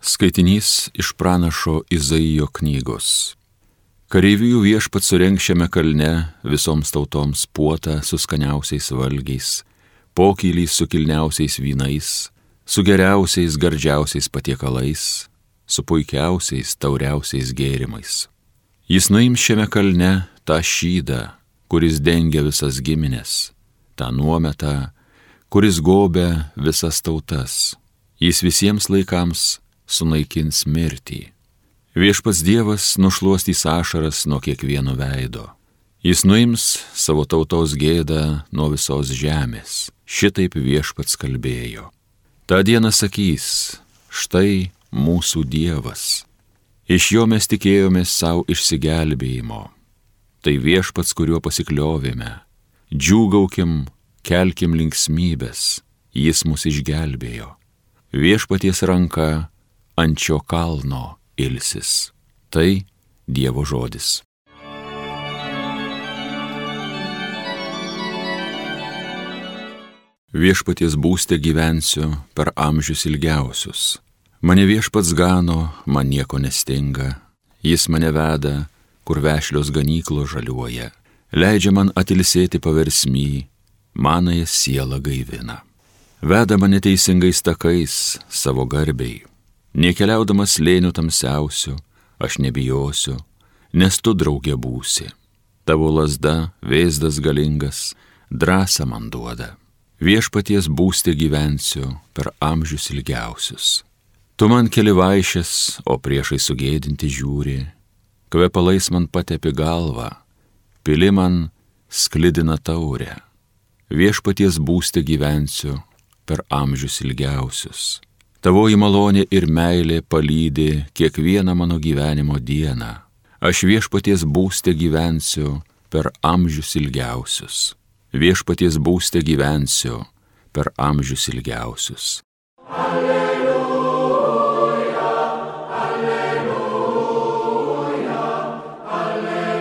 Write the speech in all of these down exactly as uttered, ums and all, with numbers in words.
Skaitinys iš pranašo Izaijo knygos. Kareivijų viešpats surengs šiame kalne visoms tautoms puotą su skaniausiais valgiais, pokylį su kilniausiais vynais, su geriausiais gardžiausiais patiekalais, su puikiausiais tauriausiais gėrimais. Jis nuims šiame kalne tą šydą, kuris dengia visas giminės, tą nuometą, kuris gobia visas tautas. Jis visiems laikams sunaikins mirtį. Viešpats Dievas nušluostys ašaras nuo kiekvieno veido. Jis nuims savo tautos gėdą nuo visos žemės. Šitaip Viešpats kalbėjo. Ta diena sakys, štai mūsų Dievas. Iš jo mes tikėjomės savo išsigelbėjimo. Tai Viešpats, kuriuo pasikliovėme. Džiūgaukim, kelkim linksmybės. Jis mus išgelbėjo. Viešpaties ranka ant šio kalno ilsis. Tai Dievo žodis. Viešpaties būste gyvensiu per amžius ilgiausius. Mane Viešpats gano, man nieko nestinga. Jis mane veda, kur vešlios ganyklos žaliuoja. Leidžia man atilsėti paversmy, manąją sielą gaivina. Veda mane teisingais takais savo garbiai. Nekeliaudamas slėnių tamsiausių, aš nebijosiu, nes tu draugė būsi. Tavo lazda, vėzdas galingas, drąsą man duoda. Viešpaties būste gyvensiu per amžius ilgiausius. Tu man keli vaišes, o priešai sugėdinti žiūri. Kvepalais man patepi galvą, pili man sklidina taurę. Viešpaties būste gyvensiu per amžius ilgiausius. Tavoji malonė ir meilė palydi kiekvieną mano gyvenimo dieną. Aš Viešpaties būste gyvensiu per amžius ilgiausius. Viešpaties būste gyvensiu per amžius ilgiausius. Alleluja, alleluja, alleluja.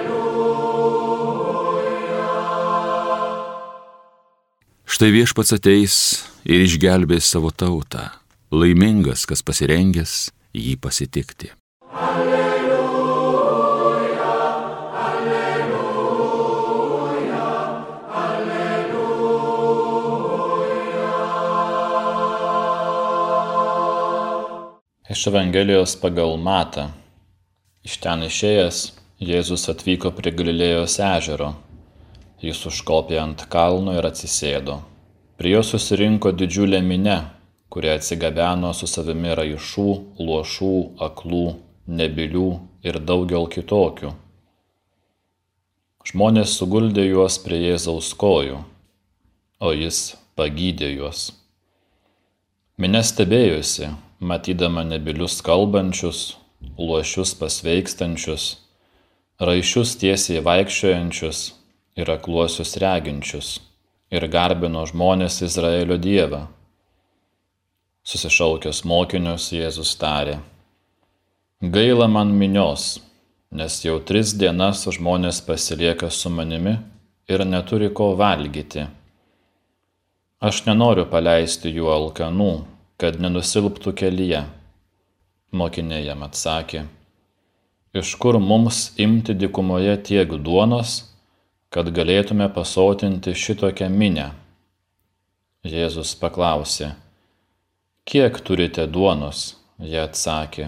Štai Viešpats ateis ir išgelbės savo tautą. Laimingas, kas pasirengęs jį pasitikti. Alleluja, alleluja, alleluja. Iš Evangelijos pagal Matą. Iš ten išėjęs, Jėzus atvyko prie Galilėjos ežero. Jis užkopė ant kalno ir atsisėdo. Prie jo susirinko didžiulė minia, kurie atsigabeno su savimi raišų, luošų, aklų, nebylių ir daugel kitokių. Žmonės suguldė juos prie Jėzaus kojų, o jis pagydė juos. Minia stebėjosi, matydama nebylius kalbančius, luošius pasveikstančius, raišius tiesiai vaikščiojančius ir akluosius reginčius, ir garbino žmonės Izraelio Dievą. Susišaukęs mokinius, Jėzus tarė: Gaila man minios, nes jau tris dienas žmonės pasilieka su manimi ir neturi ko valgyti. Aš nenoriu paleisti jų alkanų, kad nenusilptų kelyje. Mokiniai jam atsakė: Iš kur mums imti dykumoje tiek duonos, kad galėtume pasotinti šitokią minią? Jėzus paklausė: Kiek turite duonos? Jie atsakė: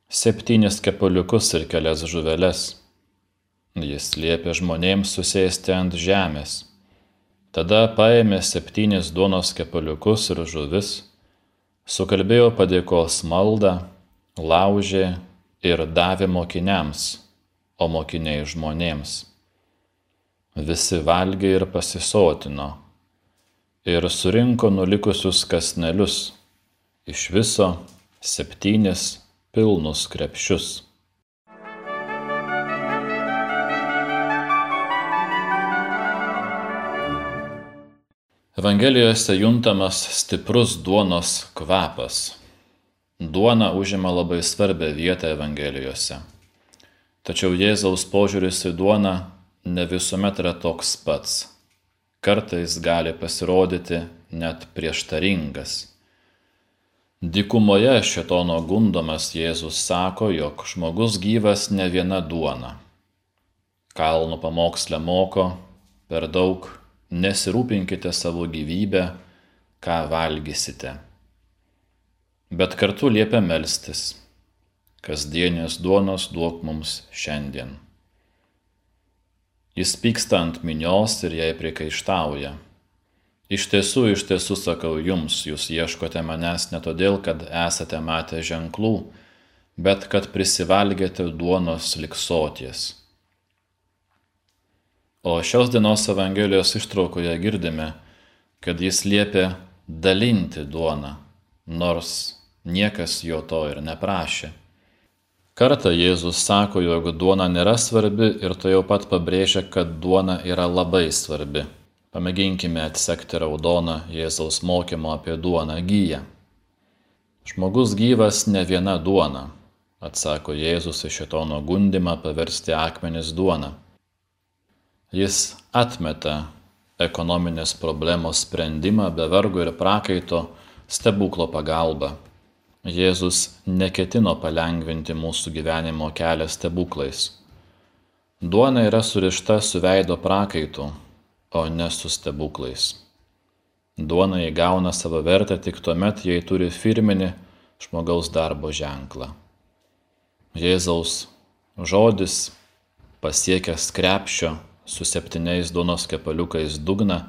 Septynis kepaliukus ir kelias žuveles. Jis liepė žmonėms susėsti ant žemės. Tada paėmė septynis duonos kepaliukus ir žuvis, sukalbėjo padėkos maldą, laužė ir davė mokiniams, o mokiniai žmonėms. Visi valgė ir pasisotino, ir surinko nulikusius kąsnelius, iš viso septynis pilnus krepšius. Evangelijose juntamas stiprus duonos kvapas. Duona užima labai svarbią vietą Evangelijose. Tačiau Jėzaus požiūris į duoną ne visuomet yra toks pats. Kartais gali pasirodyti net prieštaringas. Dykumoje šėtono gundomas Jėzus sako, jog žmogus gyvas ne viena duona. Kalno pamoksle moko, per daug nesirūpinkite savo gyvybę, ką valgysite. Bet kartu liepia melstis, kasdienės duonos duok mums šiandien. Jis pyksta ant minios ir jai priekaištauja. Iš tiesų, iš tiesų sakau jums, jūs ieškote manęs ne todėl, kad esate matę ženklų, bet kad prisivalgėte duonos lig soties. O šios dienos Evangelijos ištraukoje girdime, kad jis liepia dalinti duoną, nors niekas jo to ir neprašė. Kartą Jėzus sako, jog duona nėra svarbi ir to jau pat pabrėžia, kad duona yra labai svarbi. Pamėginkime atsekti raudoną Jėzaus mokymo apie duoną giją. Žmogus gyvas ne viena duona, atsako Jėzus į šėtono gundymą paversti akmenis duona. Jis atmeta ekonominės problemos sprendimą be vargo ir prakaito stebuklo pagalba. Jėzus neketino palengvinti mūsų gyvenimo kelią stebuklais. Duona yra surišta su veido prakaitu, o ne su stebuklais. Duona įgauna savo vertę tik tuomet, jei turi firminį žmogaus darbo ženklą. Jėzaus žodis, pasiekęs krepšio su septyniais duonos kepaliukais dugną,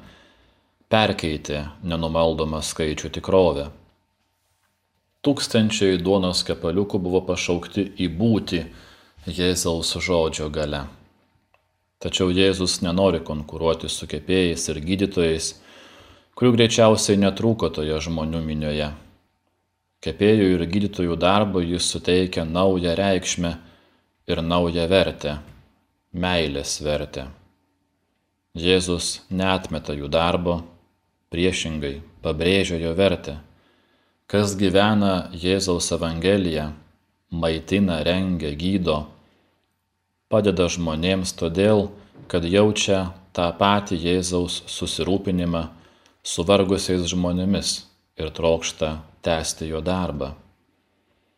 perkeitė nenumaldomą skaičių tikrovę. Tūkstančiai duonos kepaliukų buvo pašaukti į būtį Jėzaus žodžio gale. Tačiau Jėzus nenori konkuruoti su kepėjais ir gydytojais, kurių greičiausiai netrūko toje žmonių minioje. Kepėjų ir gydytojų darbo jis suteikia naują reikšmę ir naują vertę, meilės vertę. Jėzus neatmeta jų darbo, priešingai pabrėžia jo vertę. Kas gyvena Jėzaus Evangeliją, maitina, rengia, gydo, padeda žmonėms todėl, kad jaučia tą patį Jėzaus susirūpinimą su vargusiais žmonėmis ir trokšta tęsti jo darbą.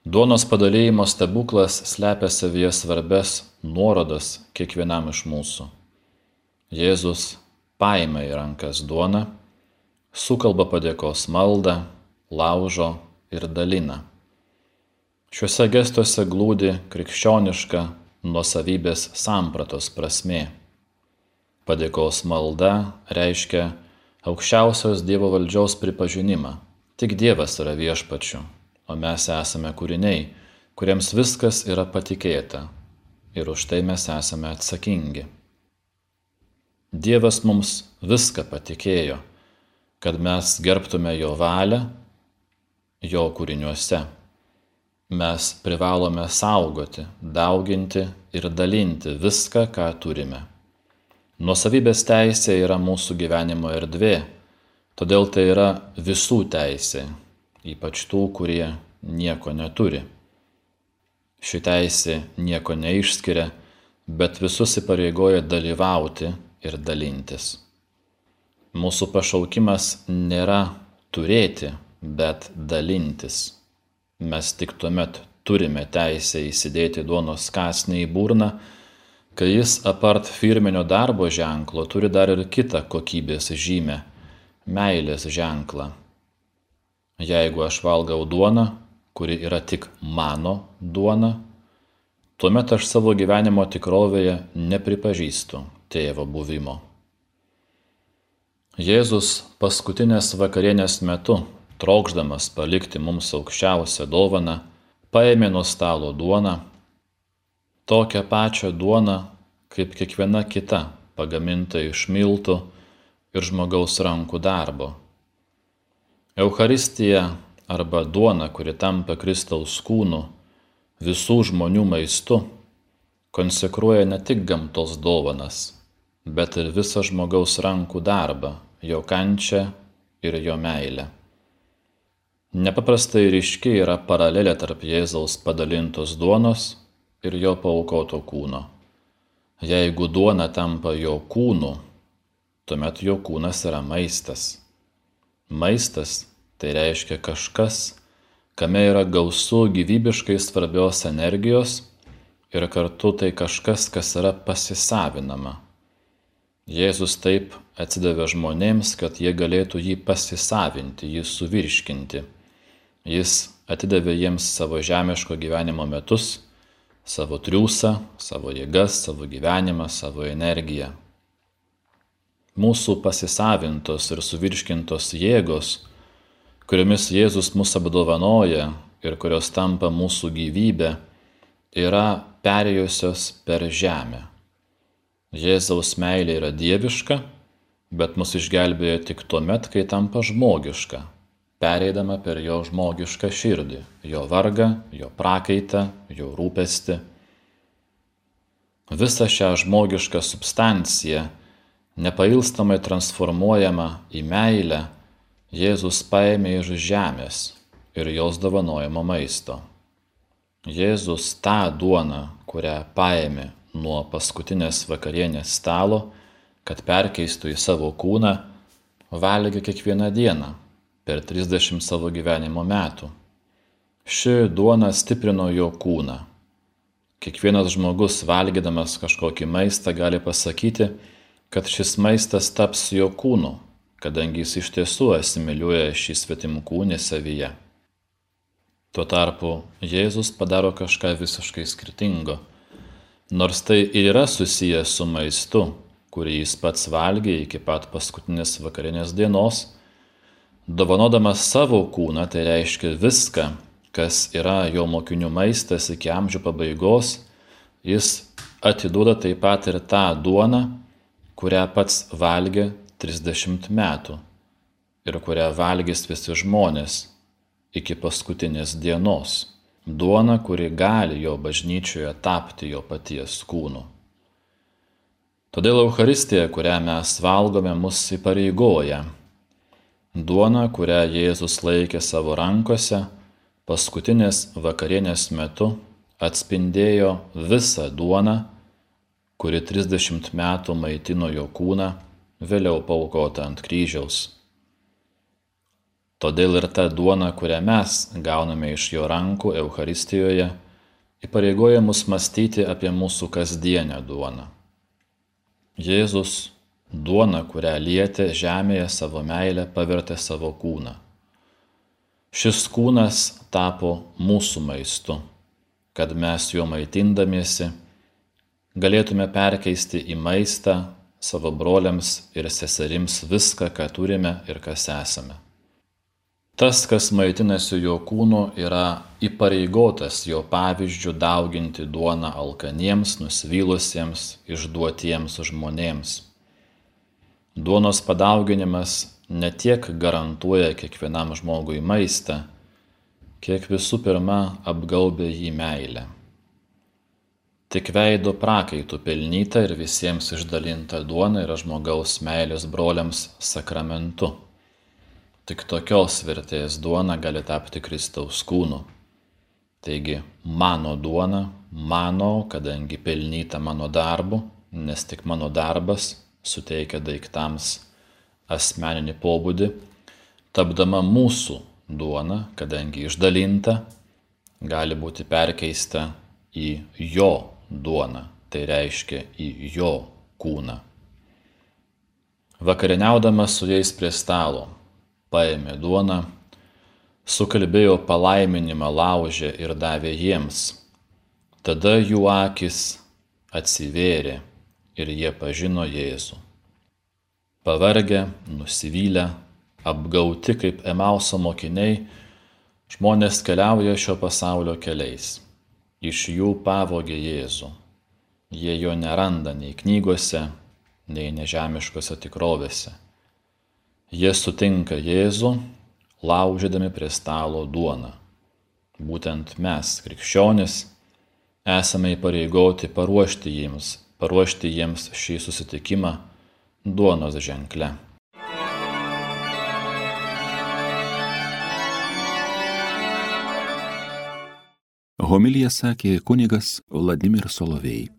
Duonos padalijimo stebuklas slepia savyje svarbes nuorodas kiekvienam iš mūsų. Jėzus paima į rankas duoną, sukalba padėkos maldą, laužo ir dalina. Šiuose gestuose glūdi krikščioniška nuosavybės sampratos prasmė. Padėkos malda reiškia aukščiausios Dievo valdžios pripažinimą. Tik Dievas yra viešpačiu, o mes esame kūriniai, kuriems viskas yra patikėta ir už tai mes esame atsakingi. Dievas mums viską patikėjo, kad mes gerbtume jo valią jo kūriniuose. Mes privalome saugoti, dauginti ir dalinti viską, ką turime. Nuosavybės teisė yra mūsų gyvenimo erdvė, todėl tai yra visų teisė, ypač tų, kurie nieko neturi. Ši teisė nieko neišskiria, bet visus įpareigoja dalyvauti ir dalintis. Mūsų pašaukimas nėra turėti, bet dalintis. Mes tik tuomet turime teisę įsidėti duonos kąsnį į burną, kai jis apart firminio darbo ženklo turi dar ir kitą kokybės žymę – meilės ženklą. Jeigu aš valgau duoną, kuri yra tik mano duona, tuomet aš savo gyvenimo tikrovėje nepripažįstu tėvo buvimo. Jėzus paskutinės vakarienės metu, trokšdamas palikti mums aukščiausią dovaną, paėmė nuo stalo duoną, tokią pačią duoną, kaip kiekviena kita, pagaminta iš miltų ir žmogaus rankų darbo. Eucharistija arba duona, kuri tampa Kristaus kūnu, visų žmonių maistu, konsekruoja ne tik gamtos dovanas, bet ir visą žmogaus rankų darbą, jo kančią ir jo meilę. Nepaprastai ryški yra paralelė tarp Jėzaus padalintos duonos ir jo paaukoto kūno. Jeigu duona tampa jo kūnu, tuomet jo kūnas yra maistas. Maistas tai reiškia kažkas, kame yra gausu gyvybiškai svarbios energijos ir kartu tai kažkas, kas yra pasisavinama. Jėzus taip atsidavė žmonėms, kad jie galėtų jį pasisavinti, jį suvirškinti. Jis atidavė jiems savo žemiško gyvenimo metus, savo triūsą, savo jėgas, savo gyvenimą, savo energiją. Mūsų pasisavintos ir suvirškintos jėgos, kuriomis Jėzus mus apdovanoja ir kurios tampa mūsų gyvybė, yra perėjusios per žemę. Jėzaus meilė yra dieviška, bet mus išgelbėjo tik tuomet, kai tampa žmogiška, pereidama per jo žmogišką širdį, jo vargą, jo prakaitą, jo rūpestį. Visą šią žmogišką substanciją, nepailstamai transformuojama į meilę, Jėzus paėmė iš žemės ir jos dovanojamo maisto. Jėzus tą duoną, kurią paėmė nuo paskutinės vakarienės stalo, kad perkeistų į savo kūną, valgė kiekvieną dieną per trisdešimt savo gyvenimo metų. Ši duona stiprino jo kūną. Kiekvienas žmogus, valgydamas kažkokį maistą, gali pasakyti, kad šis maistas taps jo kūnu, kadangi jis iš tiesų asimiliuoja šį svetimkūnį savyje. Tuo tarpu Jėzus padaro kažką visiškai skirtingo. Nors tai ir yra susijęs su maistu, kurį jis pats valgė iki pat paskutinės vakarinės dienos, dovanodamas savo kūną, tai reiškia viską, kas yra jo mokinių maistas iki amžių pabaigos, jis atiduoda taip pat ir tą duoną, kurią pats valgė trisdešimt metų ir kurią valgys visi žmonės iki paskutinės dienos. Duona, kuri gali jo bažnyčioje tapti jo paties kūnu. Todėl Eucharistija, kurią mes valgome, mus įpareigoja. Duona, kurią Jėzus laikė savo rankose, paskutinės vakarienės metu atspindėjo visą duoną, kuri trisdešimt metų maitino jo kūną, vėliau paaukota ant kryžiaus. Todėl ir ta duona, kurią mes gauname iš jo rankų Eucharistijoje, įpareigoja mus mąstyti apie mūsų kasdienę duoną. Jėzus duoną, kurią lietė žemėje savo meilę, pavertė savo kūną. Šis kūnas tapo mūsų maistu, kad mes juo maitindamiesi galėtume perkeisti į maistą savo broliams ir seserims viską, ką turime ir kas esame. Tas, kas maitinasi jo kūnu, yra įpareigotas jo pavyzdžių dauginti duoną alkaniems, nusivylusiems, išduotiems žmonėms. Duonos padauginimas ne tiek garantuoja kiekvienam žmogui maistą, kiek visų pirma apgaubia jį meilę. Tik veido prakaitų pelnyta ir visiems išdalinta duona yra žmogaus meilės broliams sakramentu. Tik tokios vertės duona gali tapti Kristaus kūnu. Taigi, mano duona, mano, kadangi pelnyta mano darbu, nes tik mano darbas suteikia daiktams asmeninį pobūdį, tapdama mūsų duona, kadangi išdalinta, gali būti perkeista į jo duoną, tai reiškia į jo kūną. Vakarieniaudamas su jais prie stalo, paėmė duoną, sukalbėjo palaiminimą laužę ir davė jiems. Tada jų akys atsivėrė ir jie pažino Jėzų. Pavargę, nusivylę, apgauti kaip Emauso mokiniai, žmonės keliauja šio pasaulio keliais. Iš jų pavogė Jėzų. Jie jo neranda nei knygose, nei nežemiškose tikrovėse. Jie sutinka Jėzų, laužydami prie stalo duoną. Būtent mes, krikščionys, esame įpareigoti paruošti jiems, paruošti jiems šį susitikimą duonos ženkle. Homiliją sakė kunigas Vladimir Solovej.